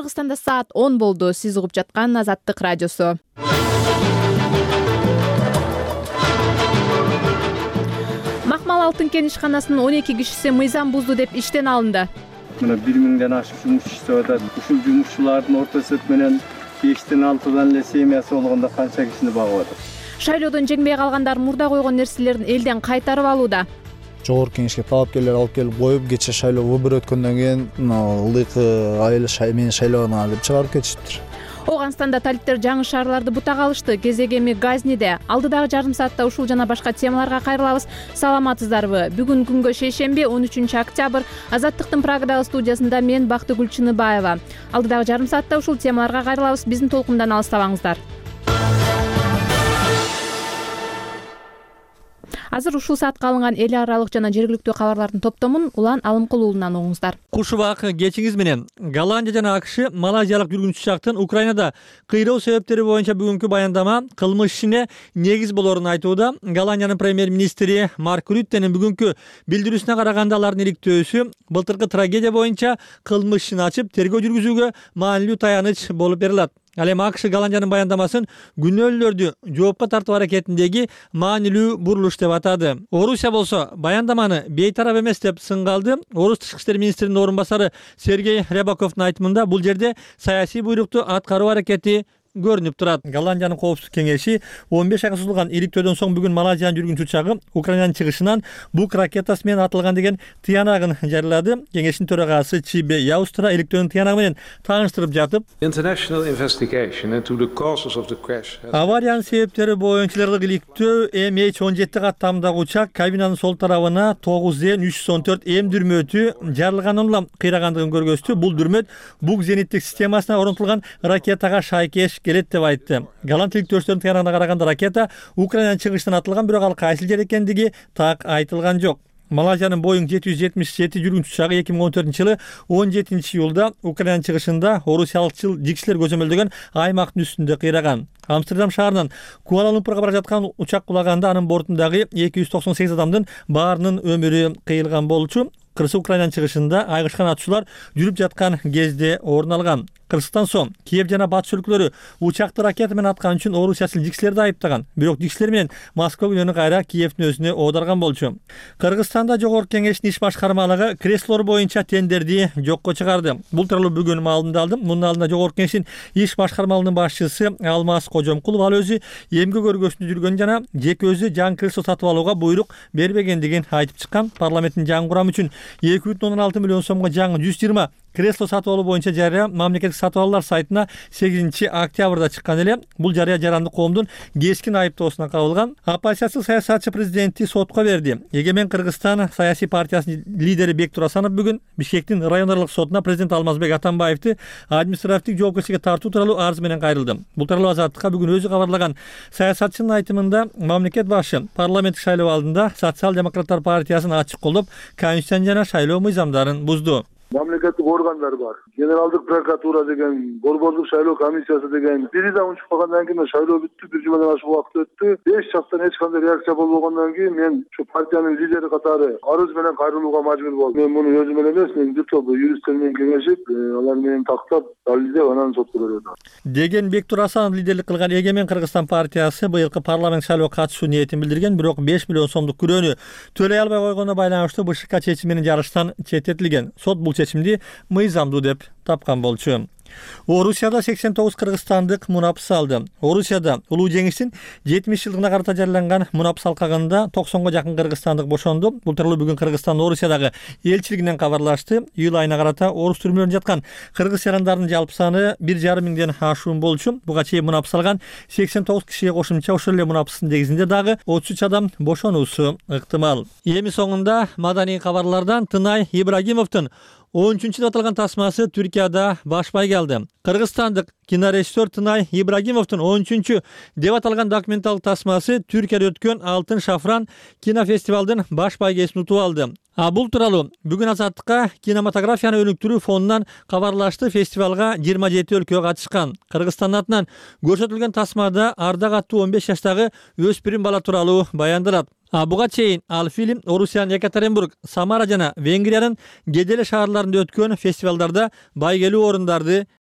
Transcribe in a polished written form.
Кыргызстанда саат 10 болду. Сиз угуп жаткан Азаттык радиосу. Макмал алтын кен ишканасынын 12 кишиси мыйзам бузду деп иштен алынды. Мына 1000ден ашык жумуш иштеп атат. Ушул жумушчулардын орто эсеп менен 5ден 6дан эле семьясы болгондо канча кишини багып атат. Шайлоодон жеңбей калгандар мурда койгон нерселерин элден кайтарып алууда. Жогорку кеңешке талапкерлер алып келип коюп, кечээ шайлоо выбор өткөндөн кийин ылдыйкы айыл мени шайлабаган деп чыгарып кетишиптир. Ооганстанда талиптер жаңы шаарларды бутак алышты. Кезек эми Газниде. Алдыдагы жарым саатта ушул жана башка темаларга кайрылабыз. Саламатсыздарбы? Бүгүн күнгө шейшемби 13 октябрь. Азаттыктын Прагадагы студиясында мен Бактыгүл Чыныбаева. Алдыдагы жарым саатта ушул темаларга кайрылабыз. Биздин толкундан алыстабаңыздар. Азыр ушул саатка алынган эл аралык жана жергиликтүү кабарлардын топтомун Улан Алымкулуулунан угуңуздар. Кушубак кечиңиз менен Голландия жана AQSh малайзиялык жүргүнчү учактын Украинада кыйроо себептери боюнча бүгүнкү баяндама кылмыш ишине негиз болорун айтууда. Голландиянын премьер-министри Марк Рюттенин бүгүнкү билдирүүсүнө караганда алардын иликтөөсү былтыркы трагедия боюнча кылмыш ишин ачып тергөө жүргүзүүгө маанилүү таяныч болуп берилет. Ал эми AQSh Голландиянын баяндамасын күнөөлүүлөрдү жоопко тартуу аракетиндеги маанилүү бурулуш деп атады. Орусия болсо баяндаманы бейтарап эмес деп сынгалды. Орус тышкы иштер министринин орун басары Сергей Рябаковдун айтымында бул жерде саясий буйрукту аткаруу аракети көрүнүп турат. Голландиянын коопсуздук кеңеши 15 айга созулган иликтөөдөн соң бүгүн Малайзиянын жүргүнчү учагы Украинанын чыгышынан бук ракетасы менен атылган деген тыянагын жарыялады. Кеңештин төрагасы Чибе Яустра иликтөөнүн тыянагы менен тааныштырып жатып, авариянын себептери боюнча иликтөө MH17 каттамдагы учак кабинанын сол тарабына 9N314 М дүрмөтү жарылгандан улам кыйрагандыгын көргөздү. Бул дүрмөт бук зениттик системасына орнотулган ракетага шайкеш келет деп айтты. Голланд иликтөөчүлөрдүн тыянагына караганда ракета Украинанын чыгышынан атылган, бирок ал кайсы жер экендиги так айтылган жок. Малайзиянын Boeing 777 жүргүнчү учагы 2014-жылы 17-июлда Украинанын чыгышында орусиялыкчыл жигчилер көзөмөлдөгөн аймактын үстүндө кыйраган. Амстердам шаарынан Куала-Лумпурга бара жаткан учак кулаганда анын бортундагы 298 адамдын баарынын өмүрү кыйылган болчу. Кыргыз Украинанын чыгышында айгышкан атышуулар жүрүп жаткан кезде орун алган. Кыргызстан соң Киев жана батыш өлкөлөрү учакты ракета менен аткан үчүн орусиялык жигчилерди айыптаган. Бирок жигчилер менен Москва күнөөнү кайра Киевдин өзүнө оодарган болчу. Кыргызстанда жогорку кеңештин иш башкармалыгы креслолор боюнча тендерди жокко чыгарды. Бул тууралуу бүгүн маалымат алдым. Мунун алдында жогорку кеңештин иш башкармалыгынын башчысы Алмаз Кожомкулов ал өзү эмгек өргөсүндө жүргөн жана жеке өзү жаңы кресло сатып алууга буйрук бербегендигин айтып чыккан. Парламенттин жаңы курамы үчүн 2,6 миллион сомго жаңы 120 кресло сатып алуу боюнча жарыя мамлекеттик сатып алуулар сайтына 8 октябрда чыккан эле. Бул жарыя жарандык коомдун кескин айыптоосуна кабылган. Оппозициялык саясатчы президенти сотко берди. Эгемен Кыргызстан саясий партиясынын лидери Бектур Асанов бүгүн Бишкектин район аралык сотуна президент Алмазбек Атамбаевди административдик жоопкерчиликке тартуу тууралуу арыз менен кайрылды. Бул тууралуу Азаттыкка бүгүн өзү кабарлаган. Саясатчынын айтымында мамлекет башы парламенттик шайлоо алдында Социал-демократтар партиясын ачык колдоп, конституция жана шайлоо мыйзамдарын бузду. Мамлекеттик органдар бар. Генералдык прокуратура деген, борбордук шайлоо комиссиясы деген. Бири да унчуп калгандан кийин шайлоо бүттү, 1 жумадан ашык убакыт өттү. 5 жактан эч кандай реакция болбогондон кийин мен ушу партиянын лидери катары арыз менен кайрылууга мажбур болдум. Мен муну өзүм эле эмес, мен бул юристтер менен кеңешип, алар менен тактап, далилдеп анан сотко бердим. Деген Бектур Асанов лидерлик кылган Эгемен Кыргызстан партиясы быйылкы парламент шайлоого катышуу ниетин билдирген, бирок 5 миллион сомдук күрөөнү төлөй албай койгонуна байланыштуу БШК чечими менен жарыштан четтетилген. Сот бул чечимди мыйзамдуу деп тапкан болчу. Орусияда 89 кыргызстандык мунапыс алды. Орусияда улуу жеңиштин 70 жылдыгына карата жарыяланган мунапыс алкагында 90га жакын кыргызстандык бошонду. Бул тууралуу бүгүн Кыргызстан Орусиядагы элчилигинен кабарлашты. Июль айына карата орус түрмөлөрүндө жаткан кыргыз жарандарынын жалпы саны 1,5 миңден ашуун болчу. Буга чейин мунапыс алган 89 кишиге кошумча ошол эле мунапыстын негизинде дагы 33 адам бошонуусу ыктымал. Эми соңунда маданий кабарлардан Тынай Ибрагимовдун 13-чү деп аталган тасмасы Түркияда баш байге алды. Кыргызстандык кинорежиссер Тынай Ибрагимовдун 13-чү деп аталган документалдык тасмасы Түркияда өткөн Алтын шафран кинофестивалдын баш байгесин утуп алды. Бул тууралуу бүгүн Азаттыкка кинематографияны өнүктүрүү фондунан кабарлашты. Фестивалга 27 өлкө катышкан. Кыргызстан атынан көрсөтүлгөн тасмада Ардак аттуу 15 жаштагы өспүрүм бала тууралуу баяндалат. Буга чейин ал фильм Орусиянын Екатеринбург, Самара жана Венгриянын кеделе шаарларында өткөн фестивалдарда байгелүү орундарды